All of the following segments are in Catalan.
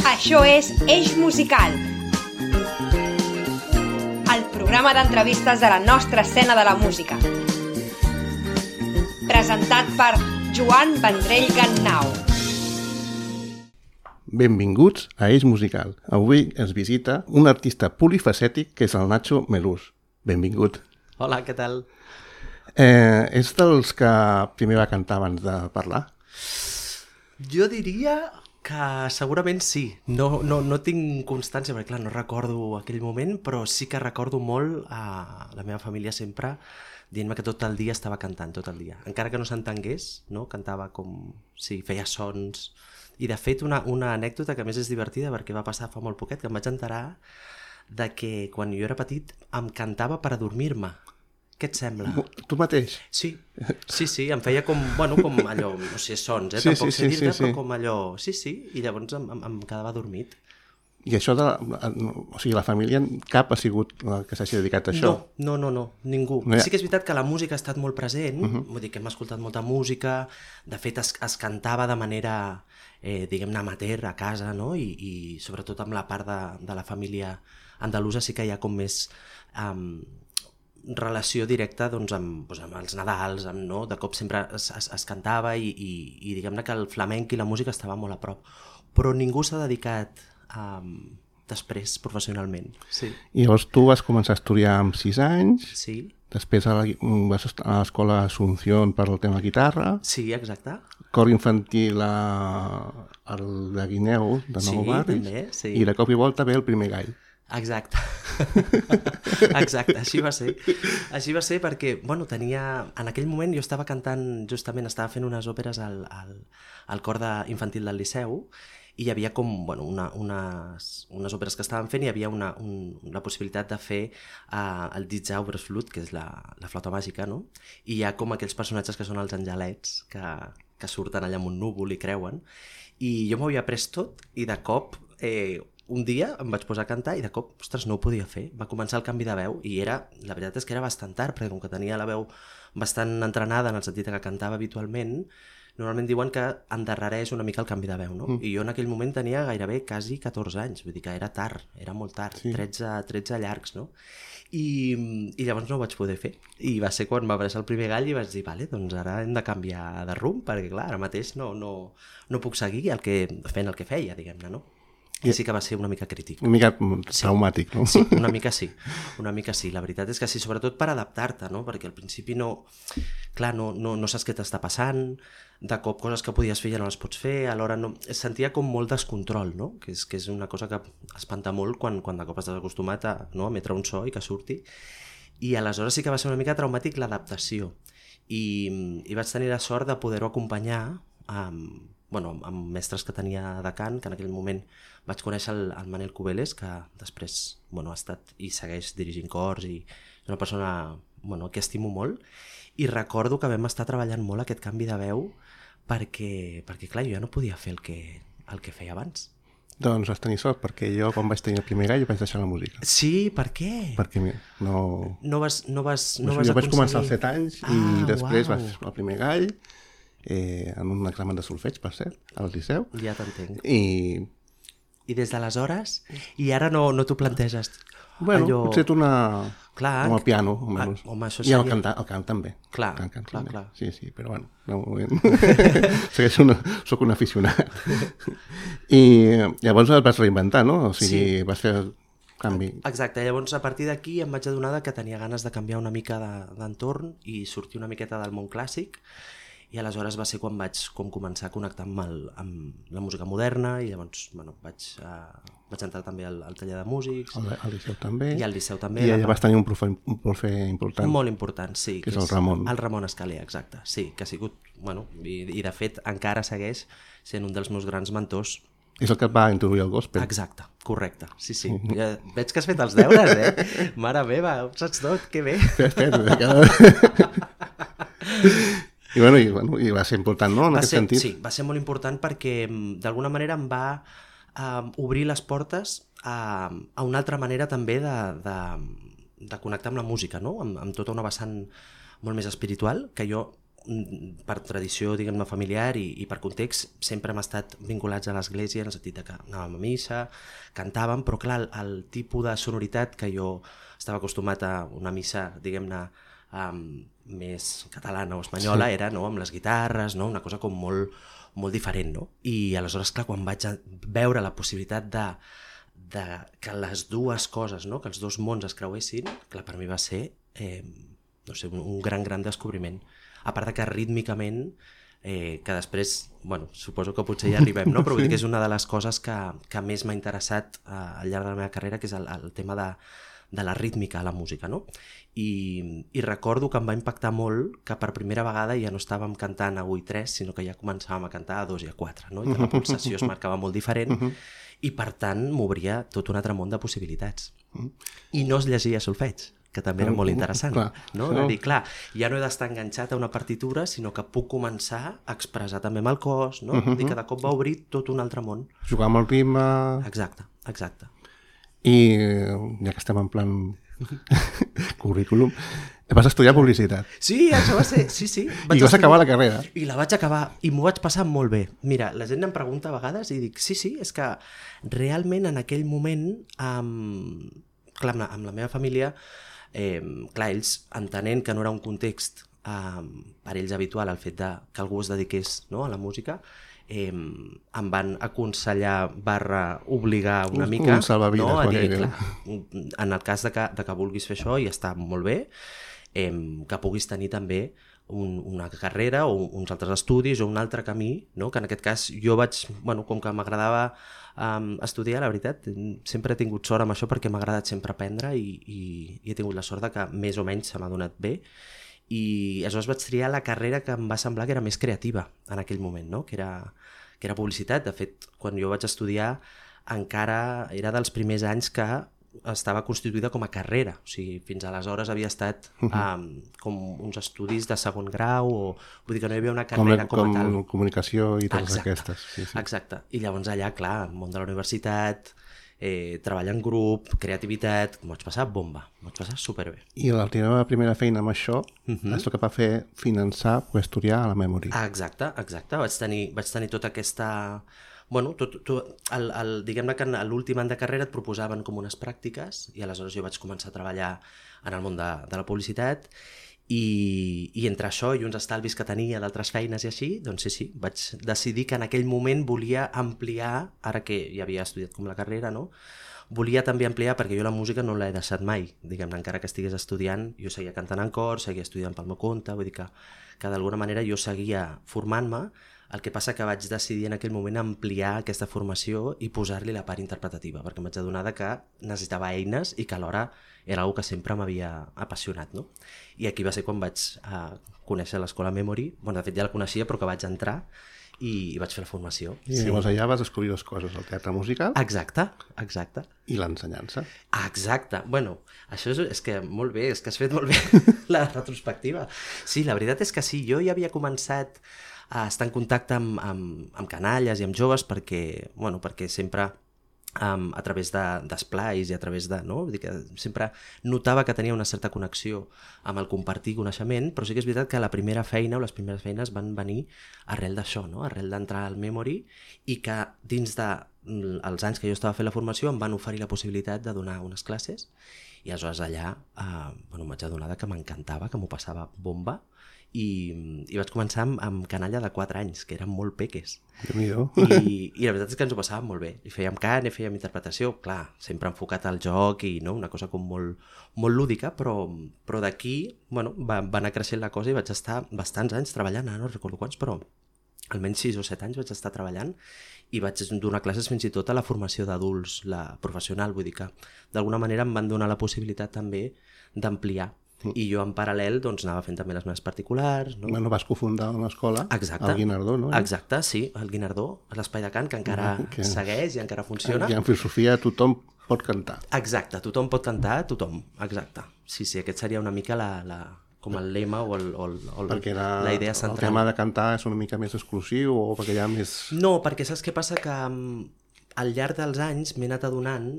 Això és Eix Musical, el programa d'entrevistes de la nostra escena de la música. Presentat per Joan Vendrell Gannau. Benvinguts a Eix Musical. Avui ens visita un artista polifacètic que és el Nacho Melús. Benvingut. Hola, què tal? És dels que primer va cantar abans de parlar? Jo diria que segurament sí. No tinc constància, perquè clar, no recordo aquell moment, però sí que recordo molt a la meva família sempre dient-me que tot el dia estava cantant, tot el dia. Encara que no s'entengués, no? Cantava com... Sí, feia sons. I de fet una anècdota que a més és divertida perquè va passar fa molt poquet, que em vaig enterar de que quan jo era petit em cantava per adormir-me. Què et sembla? Tu mateix? Sí, em feia com allò, no sé, sons, tampoc sé dir-te, però com allò, sí, i llavors em quedava adormit. I això o sigui, la família cap ha sigut la que s'hagi dedicat a això? No, ningú. Sí que és veritat que la música ha estat molt present, vull dir que hem escoltat molta música, de fet es cantava de manera, diguem-ne, amateur a casa, no? I sobretot amb la part de la família andalusa sí que hi ha com més... relació directa doncs, amb els Nadals, no? De cop sempre es cantava i diguem-ne que el flamenc i la música estava molt a prop, però ningú s'ha dedicat després professionalment. Sí. I llavors tu vas començar a estudiar amb 6 anys, sí. Després vas estar a l'escola Asunción per el tema guitarra, sí, exacte. Cor infantil al de Guineu, de Nou Barris, també, sí. I de cop i volta ve el primer gall. Exacte, així va ser. Així va ser perquè, en aquell moment jo estava cantant, justament estava fent unes òperes al cor infantil del Liceu i hi havia com, unes òperes que estaven fent i hi havia la possibilitat de fer el Die Zauberflöte, que és la flauta màgica, no? I hi ha com aquells personatges que són els angelets que surten allà amb un núvol i creuen, i jo m'ho havia pres tot i de cop... un dia em vaig posar a cantar i de cop, ostres, no ho podia fer. Va començar el canvi de veu i la veritat és que era bastant tard, perquè com que tenia la veu bastant entrenada en el sentit que cantava habitualment, normalment diuen que endarrereix una mica el canvi de veu, no? I jo en aquell moment tenia gairebé quasi 14 anys, vull dir que era tard, era molt tard, sí. 13 llargs, no? I llavors no ho vaig poder fer. I va ser quan va aparèixer el primer gall i vaig dir, vale, doncs ara hem de canviar de rumb, perquè clar, ara mateix no puc seguir fent el que feia, diguem-ne, no? I sí que va ser una mica crític. Una mica traumàtic, no? Sí, una mica sí. La veritat és que sí, sobretot per adaptar-te, no? Perquè al principi no saps què t'està passant, de cop coses que podies fer ja no les pots fer, alhora no... Es sentia com molt descontrol, no? Que és una cosa que espanta molt quan de cop estàs acostumat a emetre un so i que surti. I aleshores sí que va ser una mica traumàtic l'adaptació. I vaig tenir la sort de poder-ho acompanyar amb mestres que tenia de cant, que en aquell moment vaig conèixer el Manel Cubeles, que després ha estat i segueix dirigint cors i és una persona que estimo molt, i recordo que vam estar treballant molt aquest canvi de veu perquè clar, jo ja no podia fer el que feia abans. Doncs vas tenir sort, perquè jo quan vaig tenir el primer gall vaig deixar la música. Sí, per què? Perquè no vas jo vaig començar als 7 anys i després vaig fer el primer gall en un examen de solfeig, per cert, al Liceu. Ja t'entenc. I des d'aleshores? I ara no t'ho planteges? Bueno, potser com el piano, almenys. I el cant també. Clar. Sí, però bueno, de moment soc un aficionat. I llavors et vas reinventar, no? O sigui, vas fer el canvi. Exacte, llavors a partir d'aquí em vaig adonar que tenia ganes de canviar una mica d'entorn i sortir una miqueta del món clàssic. I aleshores va ser quan vaig començar a connectar amb la música moderna i llavors vaig entrar també al taller de músics. Al Liceu també. I al Liceu també. I allà vas tenir un profe important. Molt important, sí. Que és el Ramon. El Ramon Escalé, exacte. Sí, que ha sigut, i de fet encara segueix sent un dels meus grans mentors. És el que et va introduir el gospel. Exacte, correcte, sí. Ja veig que has fet els deures, Mare meva, ho saps tot, que bé. I va ser important, no?, en aquest sentit. Sí, va ser molt important perquè d'alguna manera em va obrir les portes a una altra manera també de connectar amb la música, no? Amb tota una vessant molt més espiritual, que jo per tradició, diguem-ne, familiar i per context, sempre hem estat vinculats a l'església, en el sentit que anàvem a missa, cantàvem, però clar, el tipus de sonoritat que jo estava acostumat a una missa, diguem-ne, més catalana o espanyola, era amb les guitarres, una cosa com molt, molt diferent. I aleshores, clar, quan vaig veure la possibilitat de que les dues coses, que els dos mons es creuessin, clar, per mi va ser un gran descobriment. A part de que rítmicament, que després, suposo que potser ja arribem, però vull dir que és una de les coses que més m'ha interessat al llarg de la meva carrera, que és el tema de la rítmica a la música, I recordo que em va impactar molt que per primera vegada ja no estàvem cantant a 1 i 3, sinó que ja començàvem a cantar a 2 i a 4, I que la pulsació es marcava molt diferent i per tant m'obria tot un altre món de possibilitats. I no es llegia solfeig, que també era molt interessant. De dir, clar, ja no he d'estar enganxat a una partitura, sinó que puc començar a expressar també amb el cos, I que de cop va obrir tot un altre món. Jugar amb el ritme... Exacte. I ja que estem en plan currículum, vas estudiar publicitat. Sí, això va ser, sí. I vas acabar la carrera. I la vaig acabar, i m'ho vaig passar molt bé. Mira, la gent em pregunta a vegades i dic, sí, és que realment en aquell moment, clar, amb la meva família, clar, ells entenent que no era un context per ells habitual el fet que algú es dediqués a la música, em van aconsellar /obligar una mica un salvavides, a dir, clar, en el cas de que vulguis fer això i està molt bé, que puguis tenir també una carrera o uns altres estudis o un altre camí, que en aquest cas jo vaig, com que m'agradava estudiar, la veritat, sempre he tingut sort amb això perquè m'ha agradat sempre aprendre i he tingut la sort de que més o menys se m'ha donat bé. I aleshores vaig triar la carrera que em va semblar que era més creativa en aquell moment, que era publicitat. De fet, quan jo vaig estudiar encara era dels primers anys que estava constituïda com a carrera, o sigui, fins aleshores havia estat com uns estudis de segon grau, o vull dir que no hi havia una carrera com a tal. Com comunicació i totes aquestes. Sí. Exacte, i llavors allà, clar, el món de la universitat, treball en grup, creativitat, m'ho vaig passar bomba, m'ho vaig passar superbé. I la teva primera feina amb això és el que va fer finançar o estudiar a la Memory. Exacte, vaig tenir tota aquesta... diguem-ne que a l'últim any de carrera et proposaven com unes pràctiques i aleshores jo vaig començar a treballar en el món de la publicitat i entre això i uns estalvis que tenia d'altres feines i així, doncs sí, vaig decidir que en aquell moment volia ampliar, ara que ja havia estudiat com la carrera, volia també ampliar, perquè jo la música no l'he deixat mai, diguem-ne, encara que estigués estudiant, jo seguia cantant en cor, seguia estudiant pel meu compte, vull dir que d'alguna manera jo seguia formant-me, el que passa que vaig decidir en aquell moment ampliar aquesta formació i posar-li la part interpretativa, perquè em vaig adonar que necessitava eines i que alhora era una cosa que sempre m'havia apassionat, I aquí va ser quan vaig conèixer l'Escola Memory, de fet ja la coneixia però que vaig entrar i vaig fer la formació. I llavors allà vas descobrir dues coses, el teatre musical... Exacte. I l'ensenyança. Exacte. Això és que molt bé, és que has fet molt bé la retrospectiva. Sí, la veritat és que sí, jo ja havia començat a estar en contacte amb canalles i amb joves perquè sempre a través d'esplais i a través de... Vull dir que sempre notava que tenia una certa connexió amb el compartir coneixement, però sí que és veritat que la primera feina o les primeres feines van venir arrel d'això, arrel d'entrar al Memory i que dins dels anys que jo estava fent la formació em van oferir la possibilitat de donar unes classes i aleshores allà em vaig adonar que m'encantava, que m'ho passava bomba i vaig començar amb canalla de 4 anys, que eren molt peques. I la veritat és que ens ho passàvem molt bé. I fèiem cant, i fèiem interpretació, clar, sempre enfocat al joc i una cosa com molt, molt lúdica, però d'aquí va anar creixent la cosa i vaig estar bastants anys treballant, no recordo quants, però almenys 6 o 7 anys vaig estar treballant i vaig donar classes fins i tot a la formació d'adults, la professional, vull dir que d'alguna manera em van donar la possibilitat també d'ampliar. I jo en paral·lel anava fent també les meves particulars. Vas cofundar una escola, el Guinardó, no? Exacte, sí, el Guinardó, l'espai de cant que encara segueix i encara funciona. I en filosofia tothom pot cantar. Exacte, tothom pot cantar, tothom, exacte. Sí, aquest seria una mica com el lema o la idea central. El tema de cantar és una mica més exclusiu o perquè hi ha més... No, perquè saps què passa? Que al llarg dels anys m'he anat adonant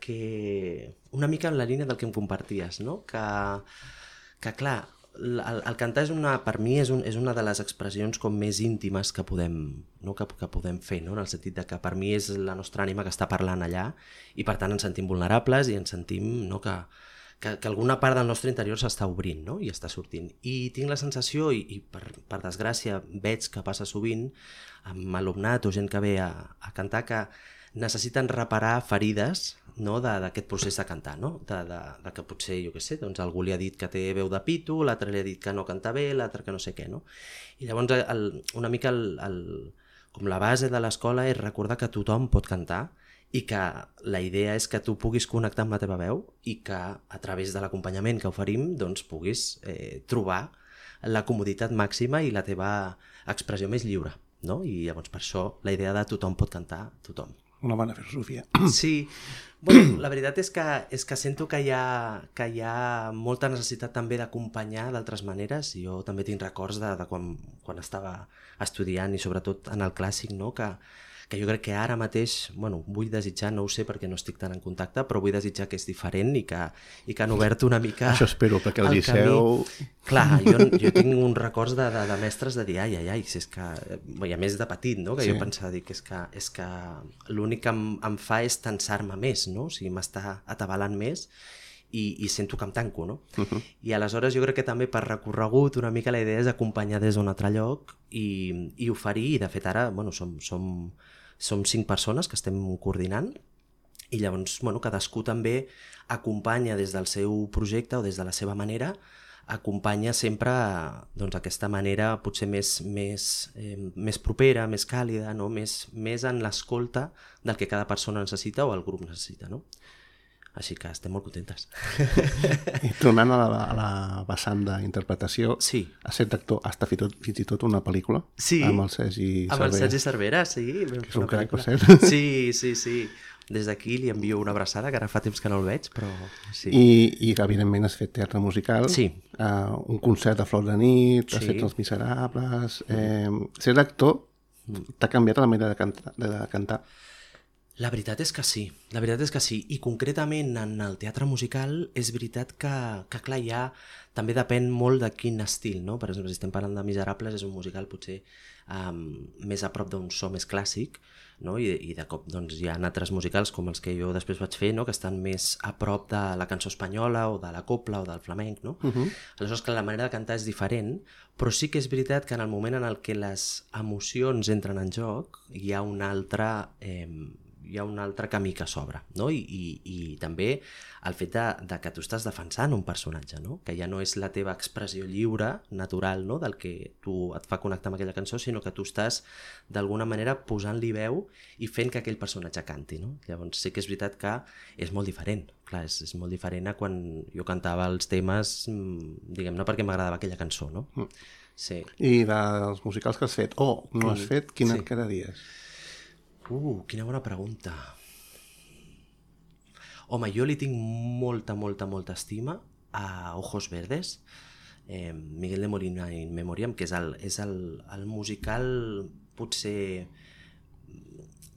que una mica en la línia del que em comparties, que clar, el cantar per mi és una de les expressions com més íntimes que podem, no? que podem fer, no? En el sentit de que per mi és la nostra ànima que està parlant allà i per tant ens sentim vulnerables i ens sentim, no? que alguna part del nostre interior s'està obrint, no? I està sortint. I tinc la sensació, i per desgràcia veig que passa sovint amb alumnat o gent que ve a cantar, que necessiten reparar ferides, no? D'aquest procés de cantar, no? De que potser, jo què sé, doncs algú li ha dit que té veu de pito, l'altre li ha dit que no canta bé, l'altre que no sé què, no? I llavors una mica com la base de l'escola és recordar que tothom pot cantar i que la idea és que tu puguis connectar amb la teva veu i que a través de l'acompanyament que oferim doncs puguis trobar la comoditat màxima i la teva expressió més lliure, no? I llavors per això la idea de tothom pot cantar, tothom. Una bona filosofia. Sí, bueno, la veritat és que sento que hi ha molta necessitat també d'acompanyar d'altres maneres. Jo també tinc records de quan estava estudiant i sobretot en el clàssic, no? Que jo crec que ara mateix, bueno, vull desitjar, no ho sé perquè no estic tan en contacte, però vull desitjar que és diferent i que han obert una mica Això espero, perquè el Liceu... Clar, jo tinc uns records de mestres de dir, ai, si és que... I a més de petit, no? Que sí. Jo pensava, dic, és que l'únic que em fa és tensar-me més, no? O sigui, m'està atabalant més i sento que em tanco, no? I aleshores jo crec que també per recorregut una mica la idea és acompanyar des d'un altre lloc i oferir, i de fet ara, bueno, som 5 persones que estem coordinant i llavors, bueno, cadascú també acompanya des del seu projecte o des de la seva manera, acompanya sempre doncs, aquesta manera potser més propera, més càlida, no? més en l'escolta del que cada persona necessita o el grup necessita, no? Així que estem molt contentes. I tornant a la vessant d'interpretació, sí. Has set actor, has fet fins i tot una pel·lícula, sí. Amb el Sergi Cervera. Amb el Sergi Cervera, sí. Que és un crac, per cert. Sí. Des d'aquí li envio una abraçada, que ara fa temps que no el veig, però sí. I evidentment has fet teatre musical, sí. Un concert de Flor de nit, sí. Has fet Els Miserables... Ser actor t'ha canviat la manera de cantar? La veritat és que sí, i concretament en el teatre musical és veritat que clar, ja també depèn molt de quin estil, no? Per exemple, si estem parlant de Miserables, és un musical potser més a prop d'un so més clàssic, no? I de cop doncs, hi ha altres musicals com els que jo després vaig fer, no? Que estan més a prop de la cançó espanyola o de la copla o del flamenc, no? Aleshores, clar, la manera de cantar és diferent, però sí que és veritat que en el moment en el que les emocions entren en joc hi ha un altre camí que s'obre, no? I també el fet de que tu estàs defensant un personatge, no? Que ja no és la teva expressió lliure, natural, no? Del que tu et fa connectar amb aquella cançó, sinó que tu estàs d'alguna manera posant-li veu i fent que aquell personatge canti, no? Llavors sí que és veritat que és molt diferent, clar, és molt diferent a quan jo cantava els temes, diguem-ne, perquè m'agradava aquella cançó, no? Sí. I dels musicals que has fet, no has fet, quin et quedaries? Quina bona pregunta. Home, jo li tinc molta estima a Ojos Verdes, Miguel de Molina in Memoriam, que és el musical potser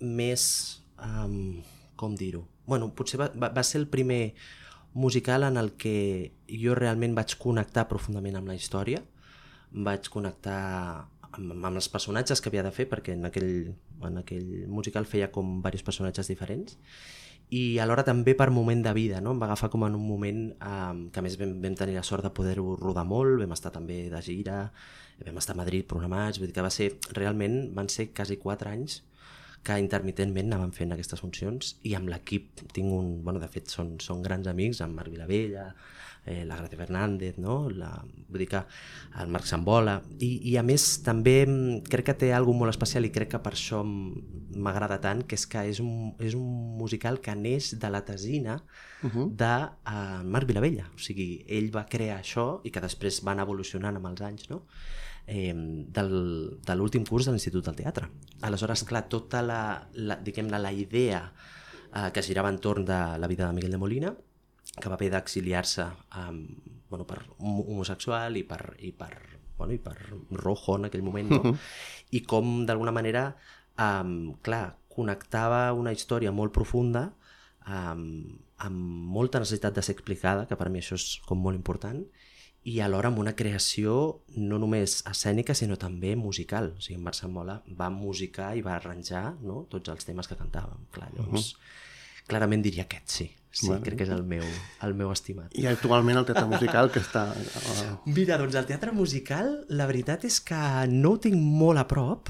més... com dir-ho? Bueno, potser va ser el primer musical en el que jo realment vaig connectar profundament amb la història, vaig connectar amb els personatges que havia de fer, perquè en aquell musical feia com diversos personatges diferents, i alhora també per moment de vida, no? Em va agafar com en un moment que a més vam tenir la sort de poder-ho rodar molt, vam estar també de gira, vam estar a Madrid programats, vull dir que realment van ser quasi 4 anys que intermitentment anàvem fent aquestes funcions, i amb l'equip tinc de fet són grans amics, amb Marc Vilavella, la Gracia Fernández, no? Vull dir que el Marc Sambola, i a més també crec que té alguna molt especial i crec que per això m'agrada tant, que és un musical que neix de la tesina de Marc Vilavella, o sigui, ell va crear això i que després van evolucionant amb els anys, no? De l'últim curs de l'Institut del Teatre. Aleshores, clar, tota la idea que girava entorn de la vida de Miguel de Molina, que va haver d'exiliar-se per homosexual i per rojo en aquell moment, no? I com d'alguna manera clar, connectava una història molt profunda amb molta necessitat de ser explicada, que per mi això és com molt important, i alhora amb una creació no només escènica sinó també musical. O sigui, en Marc Mola va musicar i va arranjar, no?, tots els temes que cantàvem. Clar, llavors, clarament diria aquest, sí. Sí, bueno, crec que és el meu estimat. I actualment el teatre musical que està... Mira, doncs el teatre musical, la veritat és que no ho tinc molt a prop,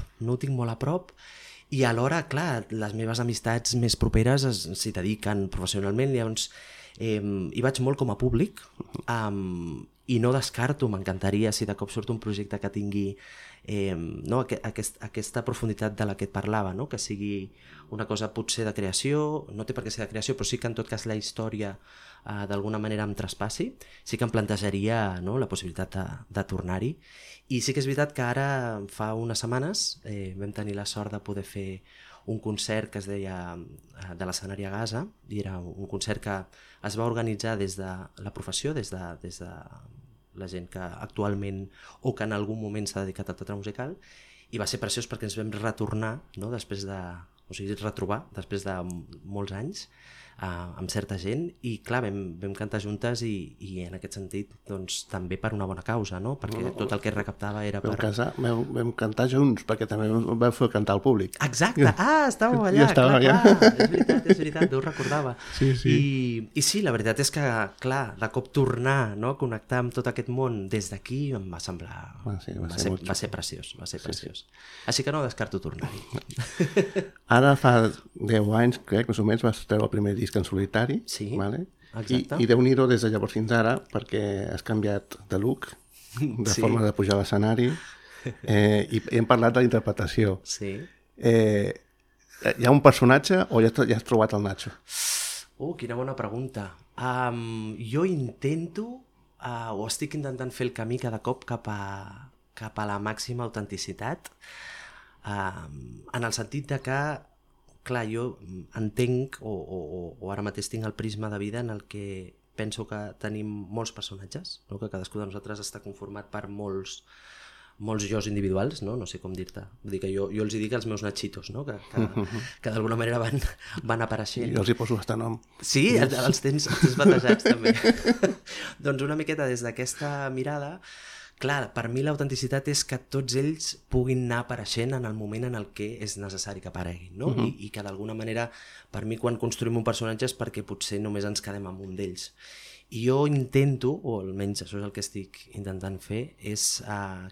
i alhora, clar, les meves amistats més properes s'hi dediquen professionalment, llavors hi vaig molt com a públic, i no descarto, m'encantaria si de cop surt un projecte que tingui no, aquesta profunditat de la que et parlava, no? Que sigui una cosa potser de creació, no té per què ser de creació, però sí que en tot cas la història d'alguna manera em traspassi, sí que em plantejaria, no, la possibilitat de tornar-hi. I sí que és veritat que ara, fa unes setmanes, vam tenir la sort de poder fer un concert que es deia de l'escenari a Gaza, i era un concert que es va organitzar des de la professió, des de la gent que actualment o que en algun moment s'ha dedicat al teatre musical, i va ser preciós perquè ens vam retornar, no?, retrobar després de molts anys amb certa gent, i clar, vam cantar juntes i en aquest sentit doncs, també per una bona causa, no? Perquè tot el que es recaptava era per... Vam cantar junts, perquè també vam fer cantar al públic. Exacte! Estàvem allà, clar. És veritat, no ho recordava. Sí. I sí, la veritat és que, clar, de cop tornar, no?, connectar amb tot aquest món des d'aquí em va semblar... Va ser preciós. Així que no descarto tornar-hi. Ara fa 10 anys, crec, més o menys, vas treure el primer disc en solitari. Sí, vale? exacte. I Déu-n'hi-do des de llavors fins ara, perquè has canviat de look, de forma de pujar a l'escenari, i hem parlat de la interpretació. Sí. Hi ha un personatge o ja has trobat el Nacho? Quina bona pregunta. Jo intento, o estic intentant fer el camí cada cop cap a la màxima autenticitat, en el sentit de que, clar, jo entenc, o ara mateix tinc el prisma de vida en el que penso que tenim molts personatges, no?, que cadascú de nosaltres està conformat per molts jos individuals, no sé com dir-te. Vull dir que jo els dic els meus nachitos, no?, que d'alguna manera van apareixent. Jo els hi poso hasta nom. Sí, els tens batejats també. Doncs una miqueta des d'aquesta mirada, clar, per mi l'autenticitat és que tots ells puguin anar apareixent en el moment en el que és necessari que apareguin, no? I que d'alguna manera, per mi, quan construïm un personatge és perquè potser només ens quedem amb un d'ells. I jo intento, o almenys això és el que estic intentant fer, és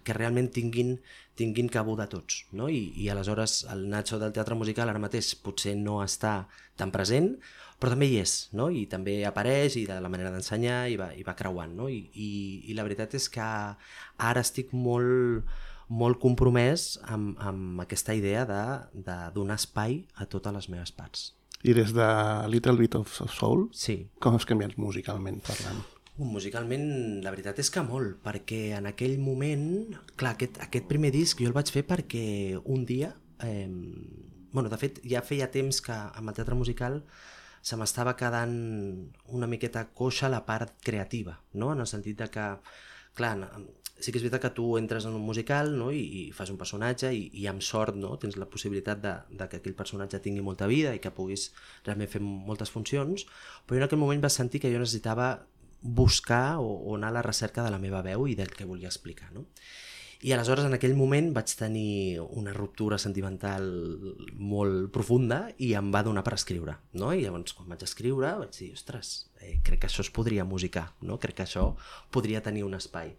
que realment tinguin cabuda tots, no? I aleshores el Nacho del teatre musical ara mateix potser no està tan present, però també hi és, no? I també apareix, i de la manera d'ensenyar, i va creuant, no? I la veritat és que ara estic molt compromès amb aquesta idea de donar espai a totes les meves parts. I des de Little Bit of Soul, sí, com has canviat musicalment parlant? Musicalment, la veritat és que molt, perquè en aquell moment, clar, aquest primer disc jo el vaig fer perquè un dia, de fet ja feia temps que amb el teatre musical se m'estava quedant una miqueta coixa la part creativa, no?, en el sentit de que, clar, sí que és veritat que tu entres en un musical, no?, i fas un personatge i amb sort, no?, tens la possibilitat de que aquell personatge tingui molta vida i que puguis realment fer moltes funcions, però jo en aquell moment vaig sentir que jo necessitava buscar o anar a la recerca de la meva veu i del que volia explicar, no? I aleshores en aquell moment vaig tenir una ruptura sentimental molt profunda i em va donar per escriure, no? I llavors quan vaig escriure vaig dir, ostres, crec que això es podria musicar, no? Crec que això podria tenir un espai.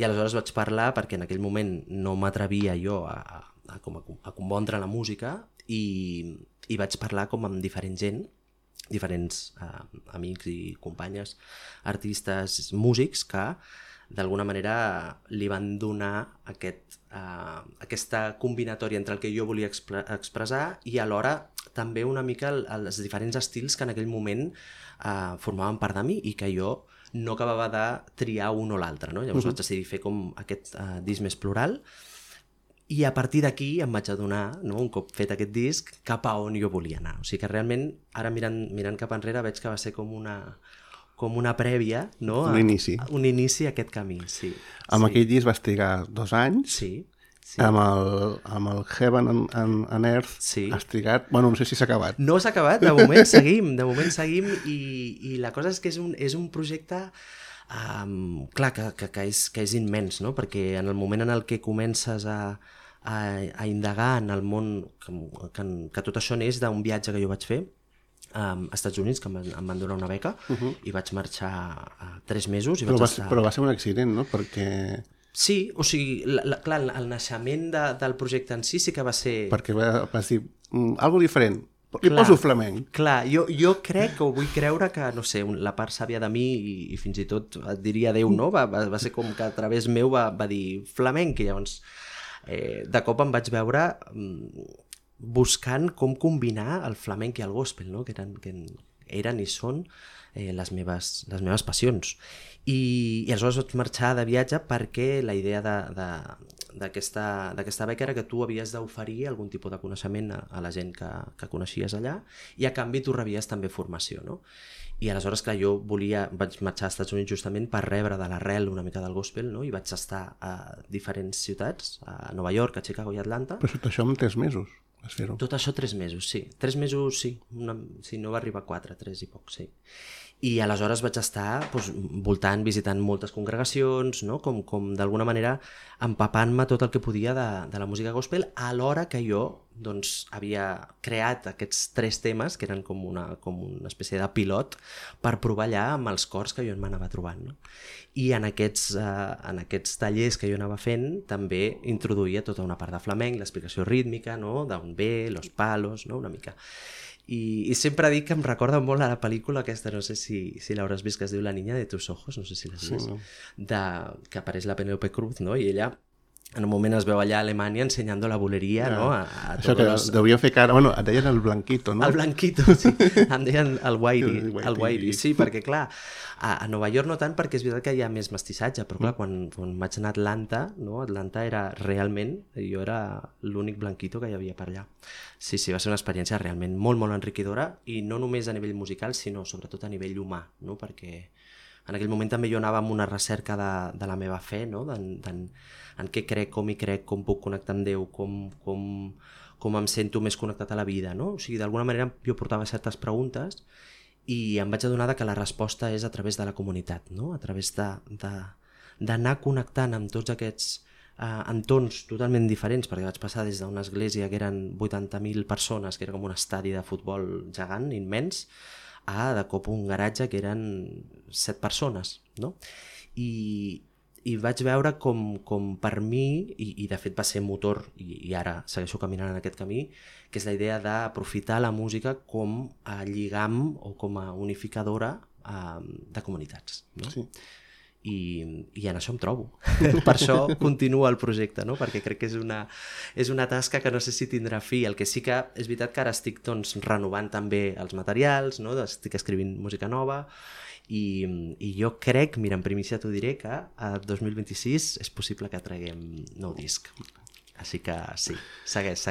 I aleshores vaig parlar, perquè en aquell moment no m'atrevia jo a compondre la música, i vaig parlar com amb diferent gent, diferents amics i companyes, artistes, músics, que d'alguna manera li van donar aquesta combinatòria entre el que jo volia expressar i alhora també una mica els diferents estils que en aquell moment formaven part de mi i que jo no acabava de triar un o l'altre, no? Llavors vaig decidir fer com aquest disc més plural i a partir d'aquí em vaig adonar, no, un cop fet aquest disc, cap a on jo volia anar. O sigui que realment, ara mirant cap enrere, veig que va ser com una prèvia, no? Un inici. Un inici a aquest camí, sí. Amb aquell disc vas trigar 2 anys. Sí. Amb el Heaven and Earth has trigat... Bueno, no sé si s'ha acabat. No s'ha acabat, de moment seguim i la cosa és que és un projecte clar, que és immens, no? Perquè en el moment en el que comences a indagar en el món, que tot això neix d'un viatge que jo vaig fer als Estats Units, que em van donar una beca, i vaig marxar 3 mesos. Però va ser un accident, no? Perquè... Sí, o sigui, clar, el naixement del projecte en sí que va ser... Perquè vas dir, algo diferent, li poso flamenc. Clar, jo crec, o vull creure que, no sé, la part sàvia de mi, i fins i tot et diria Déu, no? Va ser com que a través meu va dir flamenc, i llavors de cop em vaig veure buscant com combinar el flamenc i el gospel, no? que eren i són les meves passions. I aleshores vaig marxar de viatge perquè la idea d'aquesta beca era que tu havies d'oferir algun tipus de coneixement a la gent que coneixies allà, i a canvi tu rebies també formació, no? I aleshores, clar, jo vaig marxar als Estats Units justament per rebre de l'arrel una mica del gospel, no? I vaig estar a diferents ciutats, a Nova York, a Chicago i Atlanta. Però tot això en 3 mesos vas fer-ho? Tot això 3 mesos, sí. 3 mesos, sí. Si no va arribar a 4, 3 i poc, sí. I aleshores vaig estar voltant, visitant moltes congregacions, no? com d'alguna manera empapant-me tot el que podia de la música gospel, alhora que jo havia creat aquests 3 temes, que eren com una espècie de pilot, per provar allà amb els cors que jo m'anava trobant. No? I en aquests tallers que jo anava fent també introduïa tota una part de flamenc, l'explicació rítmica, no? D'on ve, los palos, no? Una mica... I sempre dic que em recorda molt a la pel·lícula aquesta, no sé si l'hauràs vist, que es diu La niña de tus ojos, no sé si l'has vist, que apareix la Penélope Cruz, no? I ella en un moment es veu allà a Alemanya ensenyant la boleria, no? Això que devien fer cara... Bueno, et deien el Blanquito, no? El Blanquito, sí. Em deien el Whitey. Sí, perquè clar, a Nova York no tant, perquè és veritat que hi ha més mestissatge, però clar, quan vaig anar a Atlanta, no? Atlanta era realment... Jo era l'únic Blanquito que hi havia per allà. Sí, va ser una experiència realment molt, molt enriquidora, i no només a nivell musical, sinó sobretot a nivell humà, no? Perquè en aquell moment també jo anava amb una recerca de la meva fe, no? En què crec, com hi crec, com puc connectar amb Déu, com em sento més connectat a la vida, no? O sigui, d'alguna manera jo portava certes preguntes i em vaig adonar que la resposta és a través de la comunitat, no? A través d'anar connectant amb tots aquests entorns totalment diferents, perquè vaig passar des d'una església que eren 80.000 persones, que era com un estadi de futbol gegant, immens, a de cop un garatge que eren 7 persones, no? I vaig veure com per mi, i de fet va ser motor, i ara segueixo caminant en aquest camí, que és la idea d'aprofitar la música com a lligam o com a unificadora de comunitats, no? Sí. I en això em trobo. Per això continua el projecte, no? Perquè crec que és una tasca que no sé si tindrà fi. El que sí que és veritat que ara estic renovant també els materials, no? Estic escrivint música nova, i jo crec, mira, en primícia t'ho diré, que a 2026 és possible que traguem nou disc. Així que sí, segueix.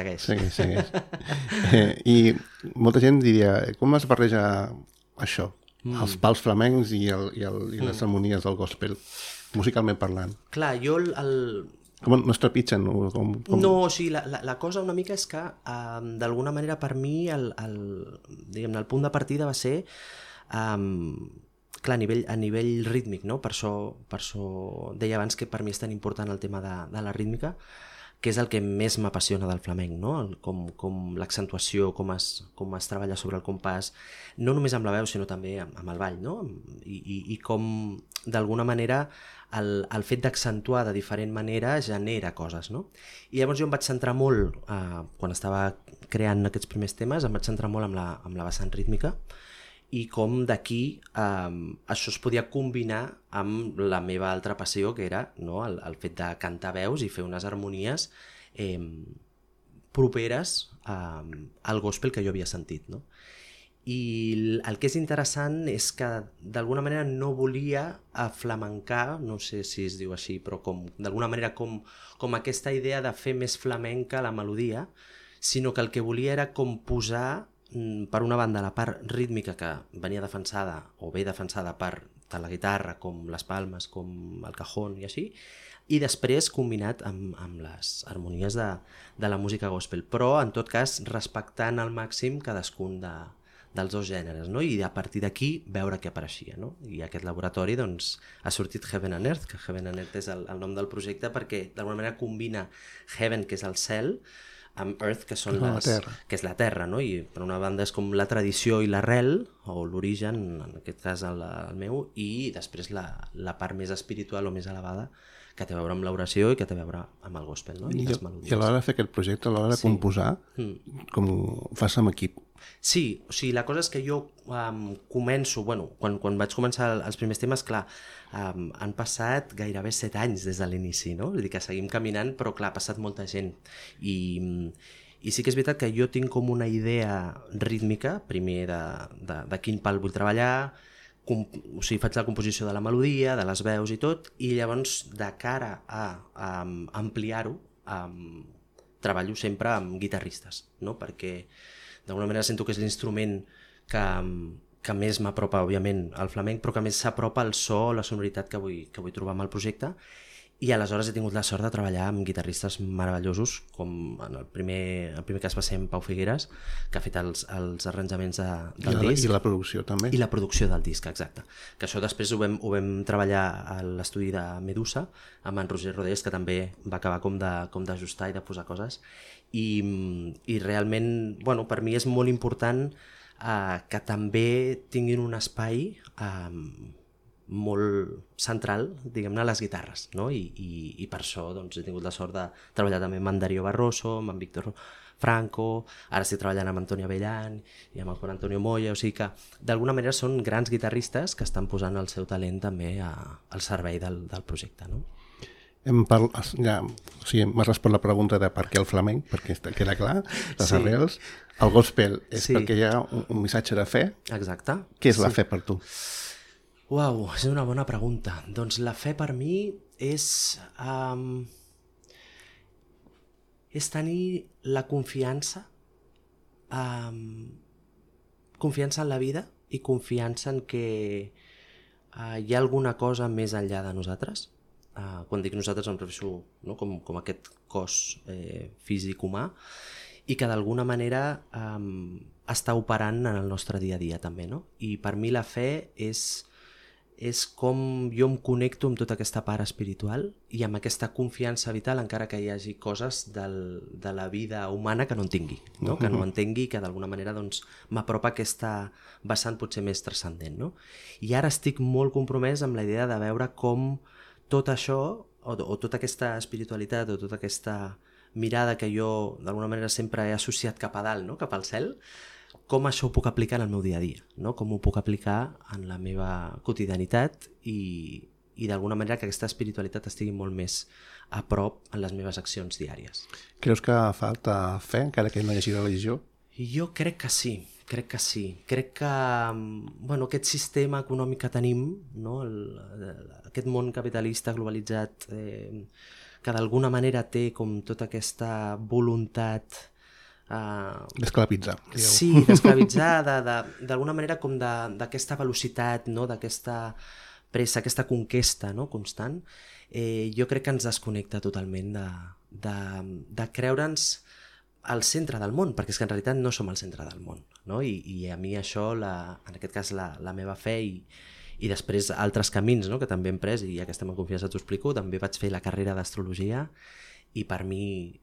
I molta gent diria, com es barreja això? Els pals flamencs i les harmonies del gospel, musicalment parlant. Clar, jo Com no es trepitgen? No, o sigui, la cosa una mica és que d'alguna manera per mi el punt de partida va ser clar, a nivell rítmic, no? Per això deia abans que per mi és tan important el tema de la rítmica, que és el que més m'apassiona del flamenc, no? Com l'accentuació, com es treballa sobre el compàs, no només amb la veu, sinó també amb el ball, no? I com, d'alguna manera, el fet d'accentuar de diferent manera genera coses, no? I llavors jo em vaig centrar molt, quan estava creant aquests primers temes, em vaig centrar molt amb la vessant rítmica, i com d'aquí això es podia combinar amb la meva altra passió, que era, no, el fet de cantar veus i fer unes harmonies properes al gospel que jo havia sentit, no? I el que és interessant és que d'alguna manera no volia aflamencar, no sé si es diu així, però d'alguna manera com aquesta idea de fer més flamenca la melodia, sinó que el que volia era com posar, per una banda, la part rítmica que venia defensada o bé defensada per tant la guitarra com les palmes, com el cajón i així, i després combinat amb les harmonies de la música gospel, però en tot cas respectant al màxim cadascun dels dos gèneres, no? I a partir d'aquí veure què apareixia, no? I aquest laboratori doncs, ha sortit Heaven and Earth, que Heaven and Earth és el nom del projecte perquè d'alguna manera combina Heaven, que és el cel, amb Earth, que són que és la terra, no? I per una banda és com la tradició i l'arrel, o l'origen, en aquest cas el meu, i després la part més espiritual o més elevada, que té a veure amb l'oració i que té a veure amb el gospel, no? I les melodies. I a l'hora de fer aquest projecte, a l'hora de composar, com ho fas amb equip? Sí, o sigui, la cosa és que jo començo, bueno, quan vaig començar els primers temes, clar, han passat gairebé 7 anys des de l'inici, no? Vull dir que seguim caminant, però clar, ha passat molta gent. I sí que és veritat que jo tinc com una idea rítmica, primer de quin pal vull treballar, o sigui, faig la composició de la melodia, de les veus i tot, i llavors de cara a ampliar-ho treballo sempre amb guitarristes, no? Perquè d'alguna manera sento que és l'instrument que més m'apropa, òbviament, al flamenc, però que més s'apropa al so, la sonoritat que vull trobar amb el projecte. I aleshores he tingut la sort de treballar amb guitarristes meravellosos, com en el primer cas va ser en Pau Figueres, que ha fet els arranjaments del disc. I la producció també. I la producció del disc, exacte. Que això després ho vam treballar a l'estudi de Medusa, amb en Roger Rodés, que també va acabar com d'ajustar i de posar coses. I realment, bueno, per mi és molt important que també tinguin un espai molt central, diguem-ne, a les guitarres, no? I per això doncs, he tingut la sort de treballar també amb en Darío Barroso, amb en Víctor Franco, ara estic treballant amb Antonio Avellán i amb el Juan Antonio Moya, o sigui que d'alguna manera són grans guitarristes que estan posant el seu talent també al servei del projecte, no? M'has respost la pregunta de per què el flamenc, perquè queda clar, les arrels. El gospel és perquè hi ha un missatge de fe. Exacte. Què és la fe per tu? Uau, és una bona pregunta. Doncs la fe per mi és tenir la confiança en la vida i confiança en que hi ha alguna cosa més enllà de nosaltres. Quan dic nosaltres em refereixo, no? com aquest cos físic humà, i que d'alguna manera està operant en el nostre dia a dia també, no? I per mi la fe és com jo em connecto amb tota aquesta part espiritual i amb aquesta confiança vital, encara que hi hagi coses de la vida humana que no entingui, no? Que no entengui i que d'alguna manera doncs, m'apropa a aquesta vessant potser més transcendent, no? I ara estic molt compromès amb la idea de veure com tot això, o tota aquesta espiritualitat, o tota aquesta mirada que jo d'alguna manera sempre he associat cap a dalt, no? Cap al cel, com això ho puc aplicar en el meu dia a dia, no? Com ho puc aplicar en la meva quotidianitat i d'alguna manera que aquesta espiritualitat estigui molt més a prop en les meves accions diàries. Creus que falta fe, encara que no hi hagi religió? Jo crec que sí. Crec que bueno, aquest sistema econòmic que tenim, no? Aquest món capitalista globalitzat que d'alguna manera té com tota aquesta voluntat d'esclavitzar. Sí, d'esclavitzar, d'alguna manera com d'aquesta velocitat, no? D'aquesta pressa, aquesta conquesta, no? Constant, jo crec que ens desconnecta totalment de creure'ns al centre del món, perquè és que en realitat no som al centre del món, no? I a mi això, en aquest cas la meva fe i després altres camins, no? Que també hem pres, i ja que estem en confiança t'ho explico, també vaig fer la carrera d'astrologia i per mi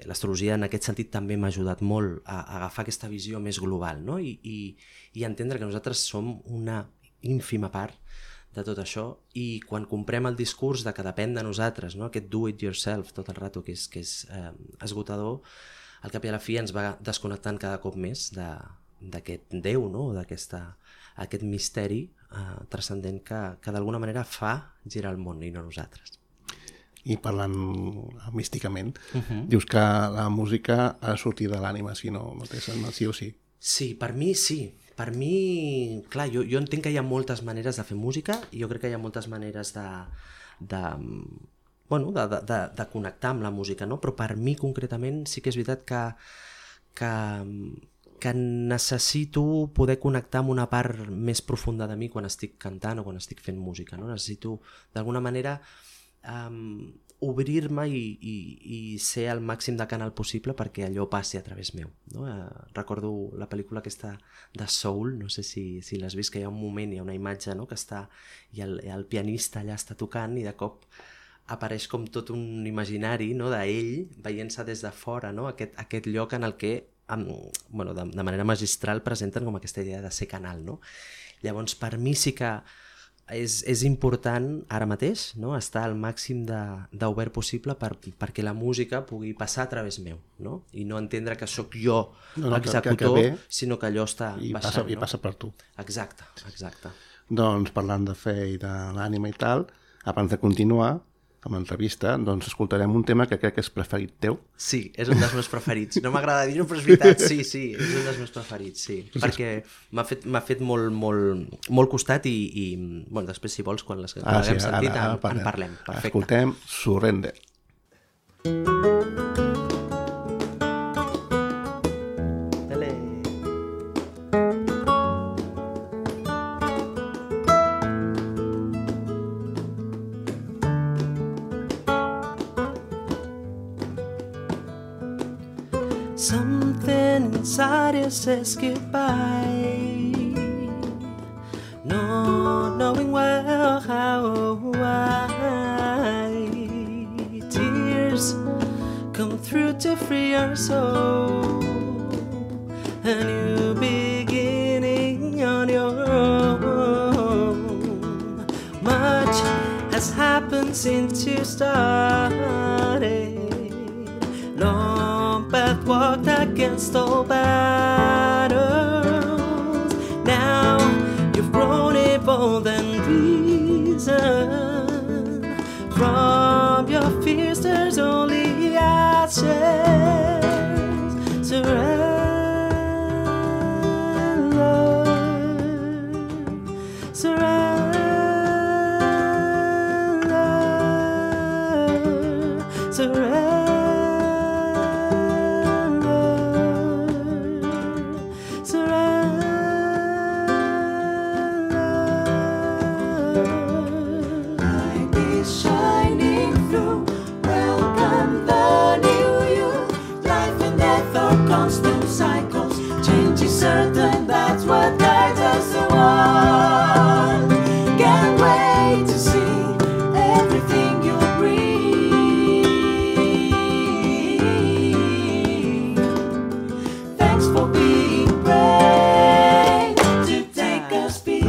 l'astrologia en aquest sentit també m'ha ajudat molt a agafar aquesta visió més global, no? I entendre que nosaltres som una ínfima part de tot això, i quan comprem el discurs de que depèn de nosaltres, no? Aquest do it yourself tot el rato, que és esgotador, al cap i a la fi ens va desconnectant cada cop més d'aquest Déu, no? Aquest misteri transcendent que d'alguna manera fa girar el món i no nosaltres. I parlant místicament, dius que la música ha de sortir de l'ànima, si no té sentit, sí o sí. Sí, per mi sí. Per mi, clar, jo entenc que hi ha moltes maneres de fer música i jo crec que hi ha moltes maneres de connectar amb la música, no? Però per mi concretament sí que és veritat que necessito poder connectar amb una part més profunda de mi quan estic cantant o quan estic fent música, no? Necessito d'alguna manera obrir-me i ser el màxim de canal possible perquè allò passi a través meu, no? Recordo la pel·lícula aquesta de Soul, no sé si l'has vist, que hi ha un moment, hi ha una imatge, no?, que està, i el pianista allà està tocant i de cop apareix com tot un imaginari, no?, d'ell veient-se des de fora, no?, aquest lloc en el que de manera magistral presenten com aquesta idea de ser canal, no? Llavors, per mi sí que és important ara mateix, no?, estar al màxim d'obert possible perquè la música pugui passar a través meu, no? I no entendre que sóc jo l'executor, sinó que allò està baixant. I passa per tu. Exacte. Doncs parlant de fe i de l'ànima i tal, abans de continuar amb l'entrevista, doncs escoltarem un tema que crec que és preferit teu. Sí, és un dels meus preferits. No m'agrada dir-ho, però és veritat, sí, és un dels meus preferits, sí. Perquè m'ha fet molt costat i després, si vols, quan l'haguem sentit, en parlem. Perfecte. Escoltem Surrender. Something inside you says goodbye, not knowing well how or why. Tears come through to free your soul, a new beginning on your own. Much has happened since you started. Long path walked against all battles. Now you've grown, evolved and reasoned. From your fears there's only ashes. Surrender, surrender, surrender. Certain that's what guides us on. Can't wait to see everything you bring. Thanks for being brave to take a speed.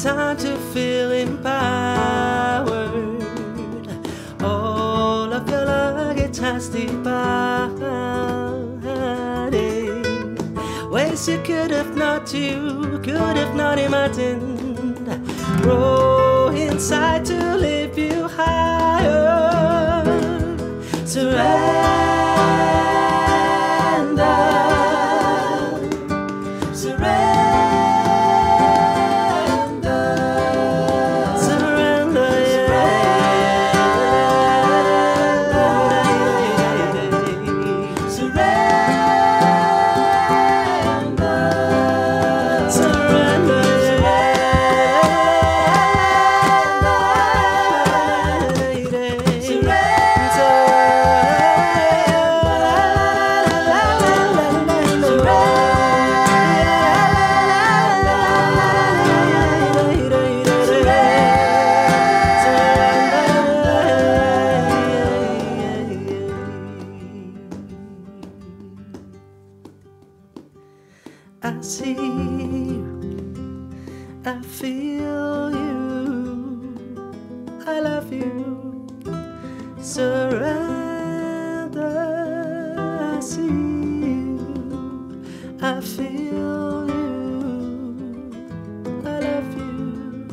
Time to feel empowered. All of your luggage has departed. Ways you could have not imagined. Grow inside to lift you higher. Surrender. I see you, I feel you, I love you, surrender. I see you, I feel you, I love you,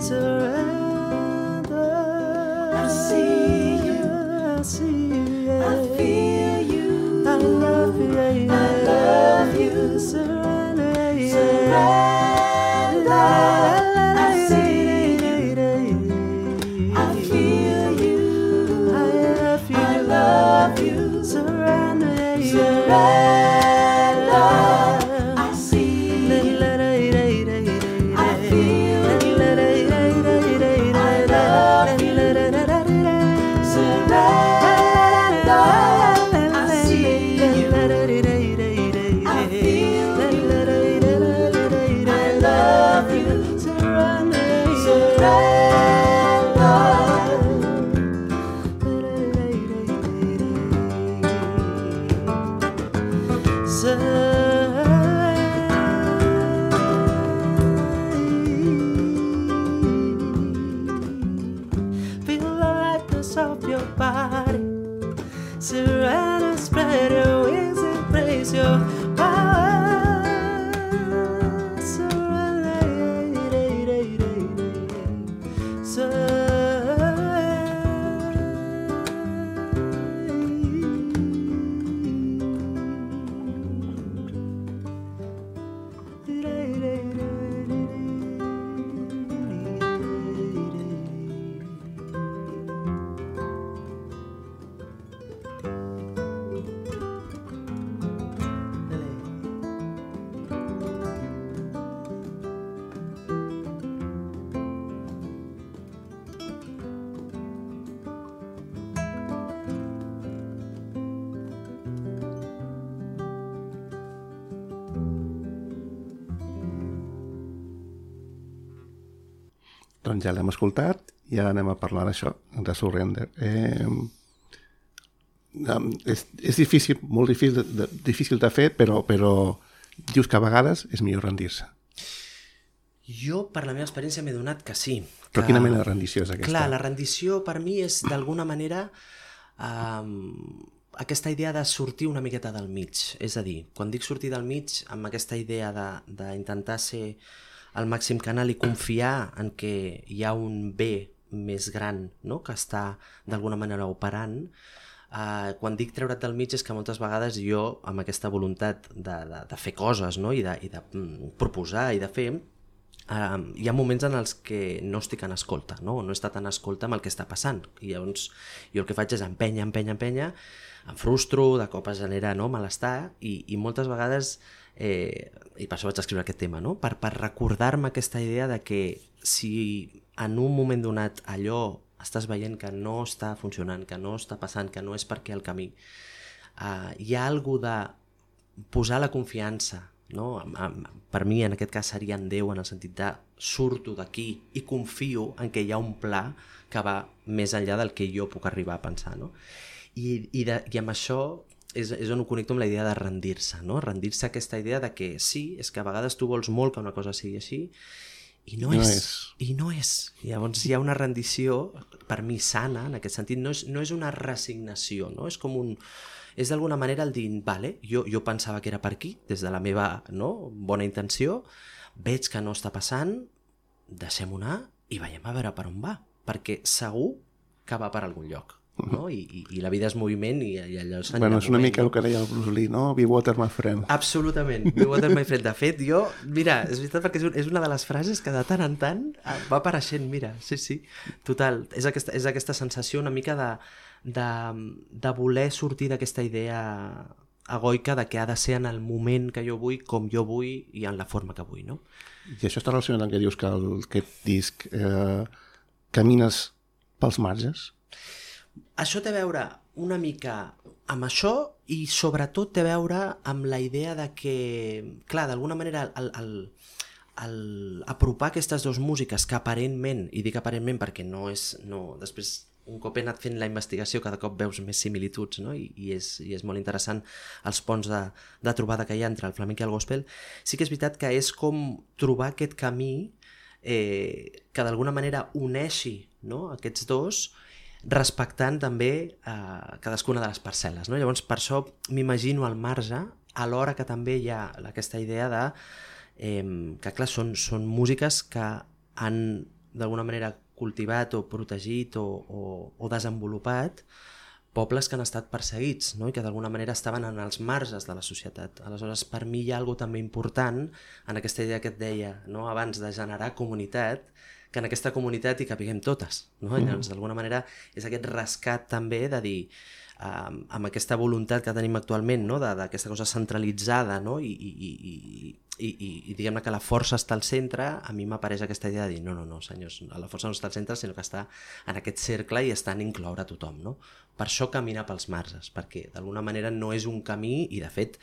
surrender. I see you, I feel you, I love you, I love you, surrender. Surrender, surrender. I see, I feel, I love you. Surrender, I see you. I feel you. I love you. Surrender. Feel the lightness of your body. Surrender, spread your wings and praise your power. Doncs ja l'hem escoltat i ara anem a parlar d'això, de Surrender. És difícil, molt difícil de fer, però dius que a vegades és millor rendir-se. Jo, per la meva experiència, m'he donat que sí. Però quina mena de rendició és aquesta? Clar, la rendició per mi és, d'alguna manera, aquesta idea de sortir una miqueta del mig. És a dir, quan dic sortir del mig, amb aquesta idea d'intentar ser al màxim canal i confiar en que hi ha un bé més gran, no?, que està d'alguna manera operant. Quan dic treure't del mig és que moltes vegades jo, amb aquesta voluntat de fer coses, no?, i de proposar i de fer, hi ha moments en els que no estic en escolta, no he estat en escolta amb el que està passant, i llavors jo el que faig és empènyer, em frustro, de cop es genera, no?, malestar, i moltes vegades, i per això vaig escriure aquest tema, no?, per recordar-me aquesta idea de que si en un moment donat allò estàs veient que no està funcionant, que no està passant, que no és per què el camí, hi ha alguna de posar la confiança, no? Per mi en aquest cas seria en Déu, en el sentit de surto d'aquí i confio en que hi ha un pla que va més enllà del que jo puc arribar a pensar, no? I amb això és on ho connecto amb la idea de rendir-se, no? Rendir-se a aquesta idea de que sí, és que a vegades tu vols molt que una cosa sigui així i no és. I llavors hi ha una rendició, per mi sana, en aquest sentit, no és una resignació, no? És com és d'alguna manera el dir, vale, jo pensava que era per aquí, des de la meva, no, bona intenció, veig que no està passant, deixem-ho anar i veiem a veure per on va, perquè segur que va per algun lloc. No? I la vida és moviment i allò és és una mica el que deia el Bruce Lee, no? Be water, my friend. Absolutament, be water, my friend. De fet, jo, mira, és veritat perquè és una de les frases que de tant en tant va apareixent, mira, sí, total. És aquesta sensació una mica de voler sortir d'aquesta idea egoica de que ha de ser en el moment que jo vull, com jo vull i en la forma que vull, no? I això està relacionat amb que dius que aquest disc camines pels marges? Això té a veure una mica amb això i sobretot té a veure amb la idea de que, clar, d'alguna manera apropar aquestes dues músiques que aparentment, i dic aparentment perquè després un cop he anat fent la investigació cada cop veus més similituds, no? I és molt interessant els ponts de trobada que hi ha entre el flamenc i el gospel. Sí que és veritat que és com trobar aquest camí que d'alguna manera uneixi, no?, aquests dos, respectant també cadascuna de les parcel·les, no? Llavors per això m'imagino al marge, alhora que també hi ha aquesta idea de que clar, són músiques que han d'alguna manera cultivat o protegit o desenvolupat pobles que han estat perseguits, no? I que d'alguna manera estaven en els marges de la societat. Aleshores, per mi hi ha alguna també important en aquesta idea que et deia, no?, abans de generar comunitat, que en aquesta comunitat hi capiguem totes, no? Llavors, d'alguna manera, és aquest rescat també de dir amb aquesta voluntat que tenim actualment, no? D'aquesta cosa centralitzada, no? I diguem-ne que la força està al centre, a mi m'apareix aquesta idea de dir no, senyors, la força no està al centre, sinó que està en aquest cercle i està en incloure a tothom, no? Per això caminar pels marges, perquè d'alguna manera no és un camí, i de fet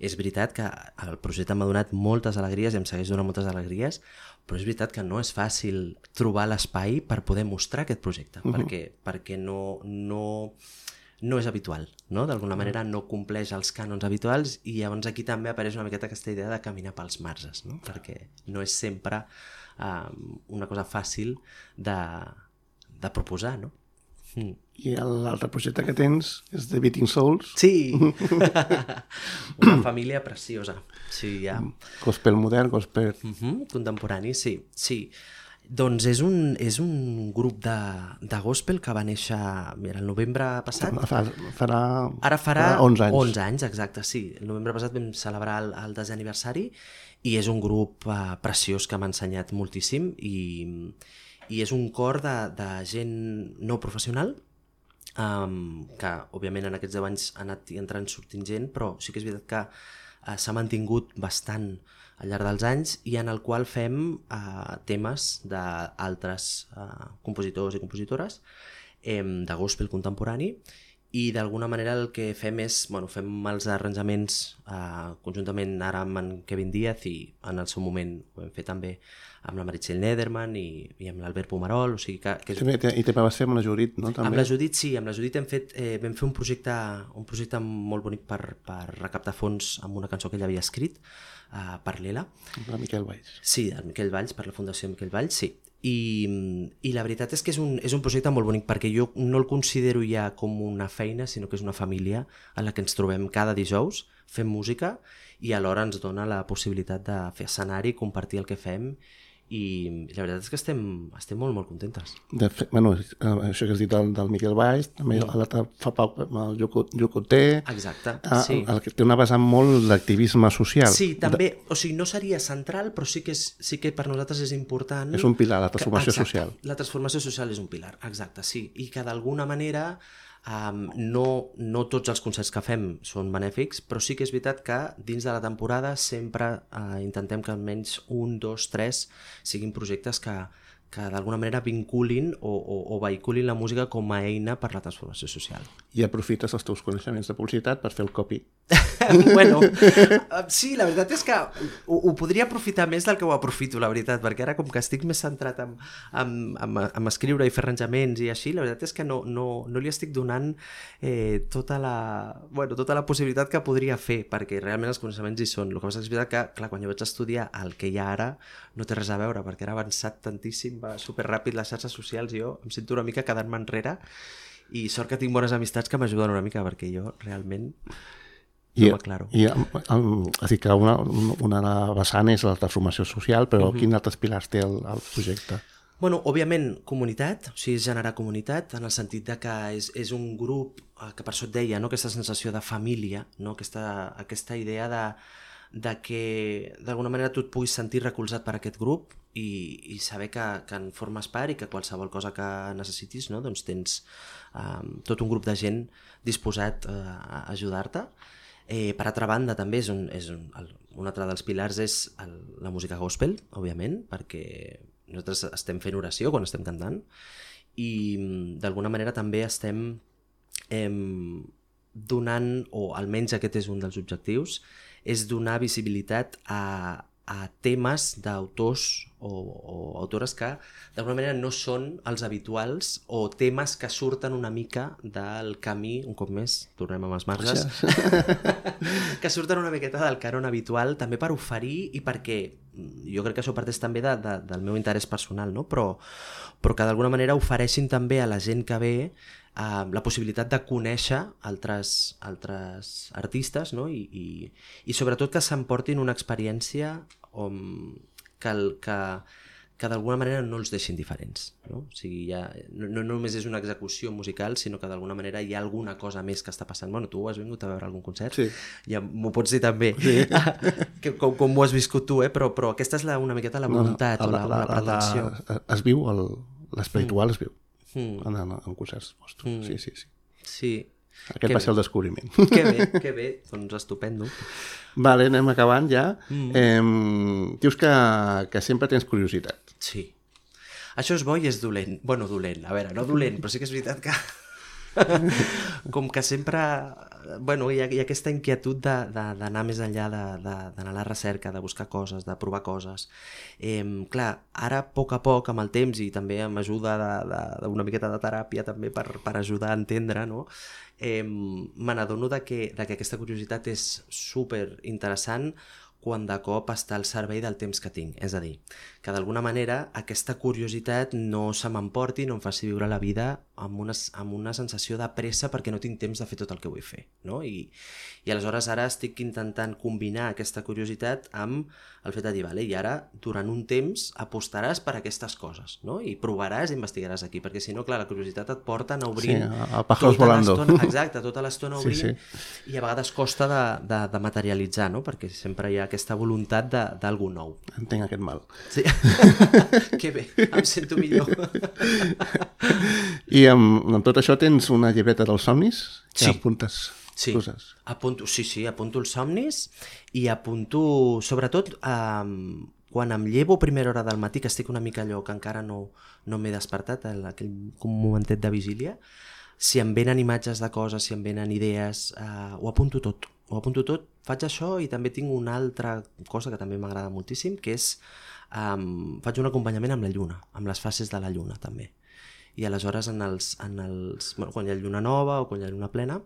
és veritat que el projecte m'ha donat moltes alegries i em segueix donant moltes alegries, però és veritat que no és fàcil trobar l'espai per poder mostrar aquest projecte, perquè no és habitual, no? D'alguna manera no compleix els cànons habituals, i llavors aquí també apareix una miqueta aquesta idea de caminar pels marges, no? Perquè no és sempre una cosa fàcil de proposar, no? I l'altre projecte que tens és The Beating Souls. Sí! Una família preciosa. Sí, ja. Gospel modern, gospel... Contemporani, sí. Doncs és un grup de gospel que va néixer, mira, el novembre passat. Ara farà 11 anys. 11 anys, exacte, sí. El novembre passat vam celebrar el 10è aniversari, i és un grup preciós que m'ha ensenyat moltíssim, i és un cor de gent no professional, que òbviament en aquests 10 anys ha anat entrant sortint gent, però sí que és veritat que s'ha mantingut bastant al llarg dels anys, i en el qual fem temes d'altres compositors i compositores de gospel contemporani, i d'alguna manera el que fem és, fem els arranjaments conjuntament ara amb en Kevin Díaz, i en el seu moment ho vam fer també amb la Meritxell Nederman i amb l'Albert Pomerol, o sigui que I també vas fer amb la Judit, no? També. Amb la Judit, sí, amb la Judit vam fer un projecte molt bonic per recaptar fons amb una cançó que ell havia escrit per l'Ela. De Miquel Valls. Sí, del Miquel Valls, per la Fundació Miquel Valls, sí. I la veritat és que és un projecte molt bonic, perquè jo no el considero ja com una feina, sinó que és una família en la que ens trobem cada dijous, fem música, i alhora ens dona la possibilitat de fer escenari, compartir el que fem, i la veritat és que estem molt, molt contentes. De fet, això que has dit del Miquel Valls, també l'altre fa poc el Jocoté. Exacte, sí. El que té una vessant molt d'activisme social. Sí, també, o sigui, no seria central, però sí que per nosaltres és important. És un pilar, la transformació social. La transformació social és un pilar, exacte, sí. I que d'alguna manera no tots els concerts que fem són benèfics, però sí que és veritat que dins de la temporada sempre intentem que almenys 1, 2, 3 siguin projectes que d'alguna manera vinculin o vehiculin la música com a eina per la transformació social. I aprofites els teus coneixements de publicitat per fer el copy. Bueno, sí, la veritat és que ho podria aprofitar més del que ho aprofito, la veritat, perquè ara com que estic més centrat en escriure i fer arranjaments i així, la veritat és que no li estic donant tota la possibilitat que podria fer, perquè realment els coneixements hi són. El que passa és veritat que, clar, quan jo vaig estudiar el que hi ha ara no té res a veure, perquè era avançat tantíssim, va superràpid les xarxes socials, i jo em sento una mica quedant-me enrere, i sort que tinc bones amistats que m'ajuden una mica, perquè jo realment no m'aclaro. És dir, que una vessant és la transformació social, però quins altres pilars té el projecte? Bueno, òbviament, comunitat, o sigui, és generar comunitat, en el sentit de que és un grup, que per això et deia, no? Aquesta sensació de família, no? Aquesta idea de que d'alguna manera tu et puguis sentir recolzat per aquest grup i saber que en formes part, i que qualsevol cosa que necessitis, no? Doncs tens tot un grup de gent disposat a ajudar-te. Per altra banda, també un altre dels pilars és la música gospel, òbviament, perquè nosaltres estem fent oració quan estem cantant, i d'alguna manera també estem donant, o almenys aquest és un dels objectius, és donar visibilitat a temes d'autors o autores que d'alguna manera no són els habituals, o temes que surten una mica del camí, un cop més, tornem amb els marges, que surten una miqueta del cànon habitual, també per oferir, i perquè jo crec que això parteix també del meu interès personal, no? Però que d'alguna manera ofereixin també a la gent que ve la possibilitat de conèixer altres artistes, no? I sobretot que s'emportin una experiència que d'alguna manera no els deixin diferents, no? O sigui, no només és una execució musical, sinó que d'alguna manera hi ha alguna cosa més que està passant. Bueno, tu has vingut a veure algun concert? Sí. Ja m'ho pots dir també, sí. com ho has viscut tu, però aquesta és una miqueta la voluntat, o la pretensió. Es viu, l'espiritual es viu. En concerts vostres, sí. Sí, Aquest va ser el descobriment. Que bé, doncs estupendo. Vale, anem acabant ja. Dius que sempre tens curiositat. Sí. Això és bo i és dolent. Bueno, dolent, a veure, no dolent, però sí que és veritat que com que sempre hi ha aquesta inquietud d'anar més enllà, d'anar a la recerca, de buscar coses, de provar coses. Clar, ara a poc, amb el temps, i també amb ajuda d'una miqueta de teràpia també per ajudar a entendre, no? Me n'adono que aquesta curiositat és super interessant quan de cop està al servei del temps que tinc. És a dir, que d'alguna manera aquesta curiositat no se m'emporti, no em faci viure la vida amb una sensació de pressa perquè no tinc temps de fer tot el que vull fer, no? I aleshores ara estic intentant combinar aquesta curiositat amb el fet de dir, vale, i ara durant un temps apostaràs per aquestes coses, no? I provaràs i investigaràs aquí, perquè si no, clar, la curiositat et porta a obrir a pájaros volando. Exacte, tota l'estona obrint, i a vegades costa de materialitzar, no? Perquè sempre hi ha aquesta voluntat d'algú nou. Entenc aquest mal. Sí. Que bé, em sento millor. I amb tot això tens una llibreta dels somnis que apuntes coses. Apunto els somnis i apunto, sobretot, quan em llevo a primera hora del matí, que estic una mica allò que encara no m'he despertat, aquell momentet de vigília, si em venen imatges de coses, si em venen idees, ho apunto tot. Faig això i també tinc una altra cosa que també m'agrada moltíssim, que és faig un acompanyament amb la lluna, amb les fases de la lluna també. I aleshores quan hi ha lluna nova o quan hi ha lluna plena,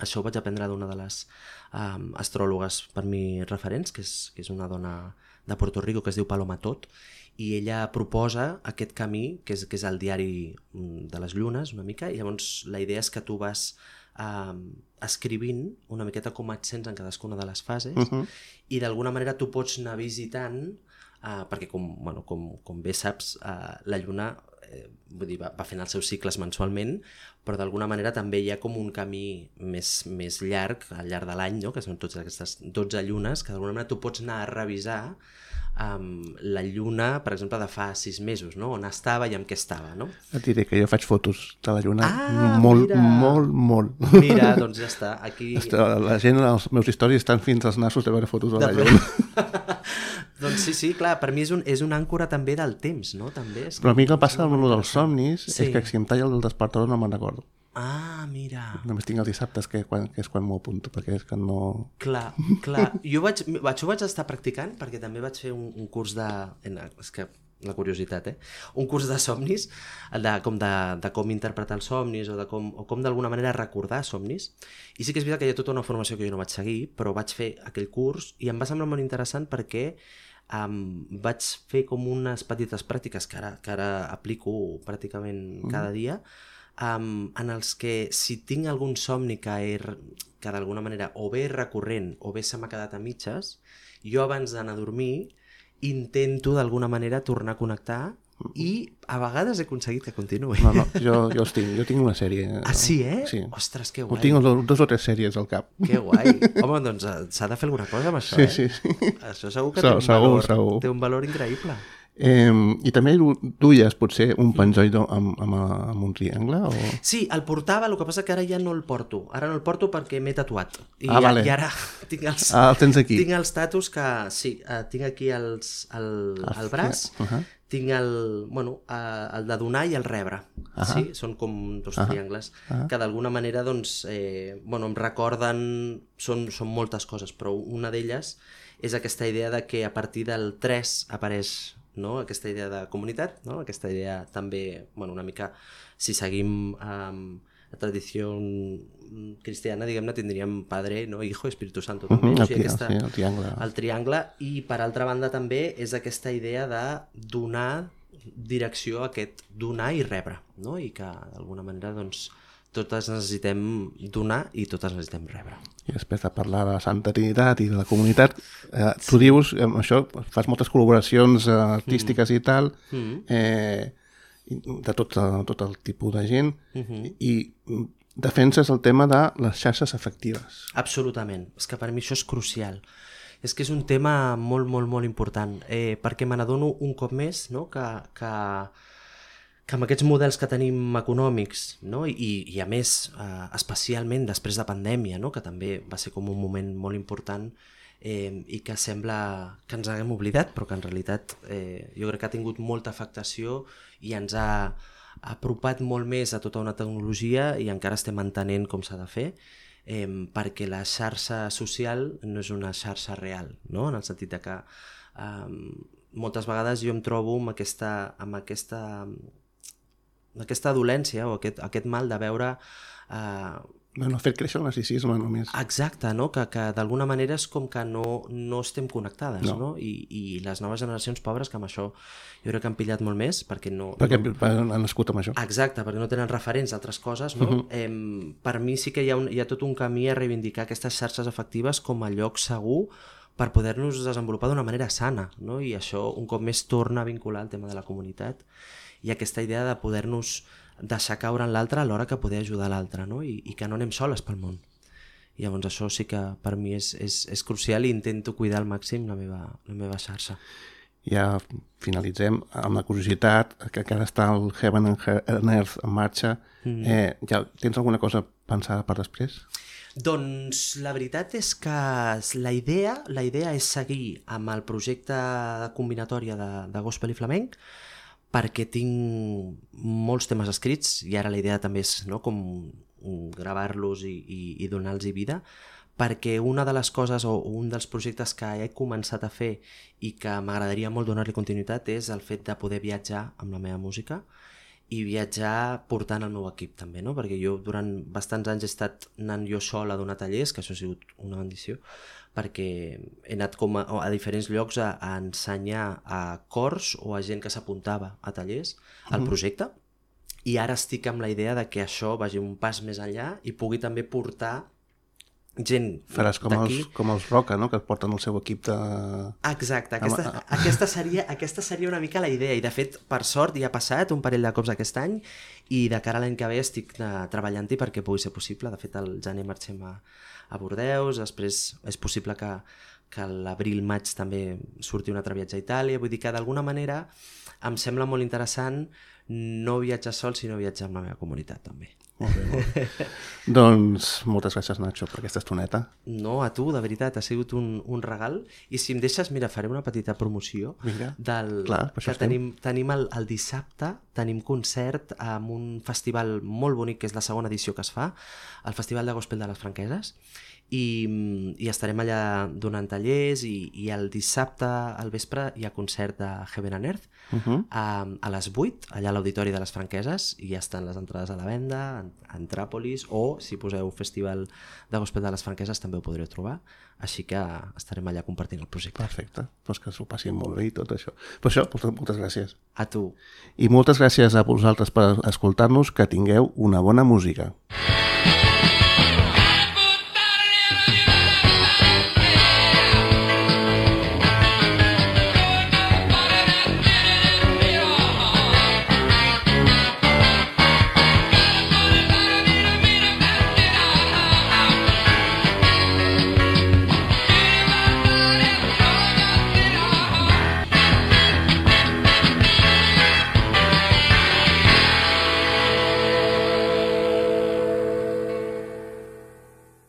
això ho vaig aprendre d'una de les astròlogues per mi referents, que és una dona de Puerto Rico que es diu Paloma Tot, i ella proposa aquest camí, que és el diari de les llunes, una mica, i llavors la idea és que tu vas escrivint una miqueta com et sents en cadascuna de les fases, i d'alguna manera tu pots anar visitant, perquè com bé saps, la lluna va fent els seus cicles mensualment, però d'alguna manera també hi ha com un camí més llarg al llarg de l'any, no? Que són totes aquestes 12 llunes, que d'alguna manera tu pots anar a revisar la lluna, per exemple, de fa 6 mesos, no? On estava i amb què estava, no? Et diré que jo faig fotos de la lluna mira. molt. Mira, doncs ja està. Aquí... La gent, els meus històries estan fins als nassos de veure fotos de la lluna. Doncs sí, clar, per mi és una àncora també del temps, no? També és però a mi el que passa amb dels somnis és que si em talla el despertador no me'n recordo. Mira. Només tinc els dissabtes, que és quan m'ho apunto, perquè és que no... Clar. Jo vaig estar practicant, perquè també vaig fer un curs de... És que la curiositat, un curs de somnis, de com interpretar els somnis, o com d'alguna manera recordar somnis. I sí que és veritat que hi ha tota una formació que jo no vaig seguir, però vaig fer aquell curs i em va semblar molt interessant perquè vaig fer com unes petites pràctiques que ara aplico pràcticament cada dia, en els que si tinc algun somni que d'alguna manera o bé és recurrent o bé se m'ha quedat a mitges, jo abans d'anar a dormir intento d'alguna manera tornar a connectar i a vegades he aconseguit que continuï. No, jo els tinc. Jo tinc una sèrie. Sí, Sí. Ostres, que guai. Tinc 2 o 3 sèries al cap. Que guai. Home, doncs s'ha de fer alguna cosa amb això, Sí. Això segur que té un valor increïble. I també duies potser un penjoll amb un triangle? O... Sí, el portava, el que passa que ara ja no el porto. Ara no el porto perquè m'he tatuat. Vale. I ara tinc els... el tens aquí. Tinc els tatus que... Sí, tinc aquí al braç. Tinc el de donar i el rebre. Sí? Són com 2 triangles que d'alguna manera doncs, em recorden... Són moltes coses, però una d'elles és aquesta idea de que a partir del 3 apareix, no? Aquesta idea de comunitat, no? Aquesta idea també, una mica, si seguim la tradició cristiana, diguem-ne, tindríem Padre, no? Hijo, Espíritu Santo també. El triangle. El triangle, i per altra banda també és aquesta idea de donar direcció a aquest donar i rebre, no? I que d'alguna manera doncs totes necessitem donar i totes necessitem rebre. I després de parlar de la Santa Trinitat i de la comunitat, tu dius, amb això, fas moltes col·laboracions artístiques i tal, de tot el tipus de gent, i defenses el tema de les xarxes afectives. Absolutament. És que per mi això és crucial. És que és un tema molt, molt, molt important, perquè me n'adono un cop més, no? que amb aquests models que tenim econòmics, no? I a més, especialment després de pandèmia, no? Que també va ser com un moment molt important i que sembla que ens haguem oblidat, però que en realitat jo crec que ha tingut molta afectació i ens ha apropat molt més a tota una tecnologia i encara estem entenent com s'ha de fer, perquè la xarxa social no és una xarxa real, no? En el sentit de que moltes vegades jo em trobo amb aquesta dolència o aquest mal de veure... Bueno, fer créixer el narcisisme només. Exacte, no? Que d'alguna manera és com que no estem connectades, no? I les noves generacions pobres, que amb això jo crec que han pillat molt més, perquè han nascut amb això. Exacte, perquè no tenen referents d'altres coses, no? Per mi sí que hi ha tot un camí a reivindicar aquestes xarxes afectives com a lloc segur per poder-nos desenvolupar d'una manera sana, no? I això un cop més torna a vincular el tema de la comunitat i aquesta idea de poder-nos deixar caure en l'altre a l'hora que poder ajudar l'altre, no? I que no anem soles pel món. I llavors això sí que per mi és crucial i intento cuidar al màxim la meva xarxa. Ja finalitzem amb la curiositat, que ara està el Heaven and Earth en marxa. Ja tens alguna cosa pensada per després? Doncs la veritat és que la idea és seguir amb el projecte de combinatòria de gospel i flamenc, perquè tinc molts temes escrits i ara la idea també és, no, com gravar-los i donar-los vida, perquè una de les coses o un dels projectes que he començat a fer i que m'agradaria molt donar-li continuïtat és el fet de poder viatjar amb la meva música i viatjar portant el meu equip també, no? Perquè jo durant bastants anys he estat anant jo sol a donar tallers, que això ha sigut una bendició, perquè he anat com a diferents llocs a ensenyar a cors o a gent que s'apuntava a tallers al projecte, i ara estic amb la idea de que això vagi un pas més enllà i pugui també portar gent d'aquí. Faràs com els Roca, no? Que porten el seu equip de... Exacte, aquesta seria una mica la idea, i de fet, per sort, ja ha passat un parell de cops aquest any i de cara a l'any que ve estic treballant-hi perquè pugui ser possible. De fet, al gener marxem a Bordeus, després és possible que a l'abril-maig també surti un altre viatge a Itàlia. Vull dir que d'alguna manera em sembla molt interessant no viatjar sol, sinó viatjar amb la meva comunitat també. Molt bé. Doncs moltes gràcies, Nacho, per aquesta estoneta. No, a tu, de veritat, ha sigut un regal. I si em deixes, mira, faré una petita promoció. Vinga. Clar, que tenim el dissabte, tenim concert amb un festival molt bonic, que és la segona edició que es fa, el Festival de Gospel de les Franqueses, i estarem allà donant tallers, i el dissabte al vespre hi ha concert de Heaven and Earth a les 8, allà a l'Auditori de les Franqueses, i ja estan les entrades a la venda a Antràpolis, o si poseu Festival de Gospel de les Franqueses també ho podreu trobar, així que estarem allà compartint el projecte. Perfecte, doncs que s'ho passin molt bé i tot això. Per això, moltes gràcies. A tu. I moltes gràcies a vosaltres per escoltar-nos, que tingueu una bona música.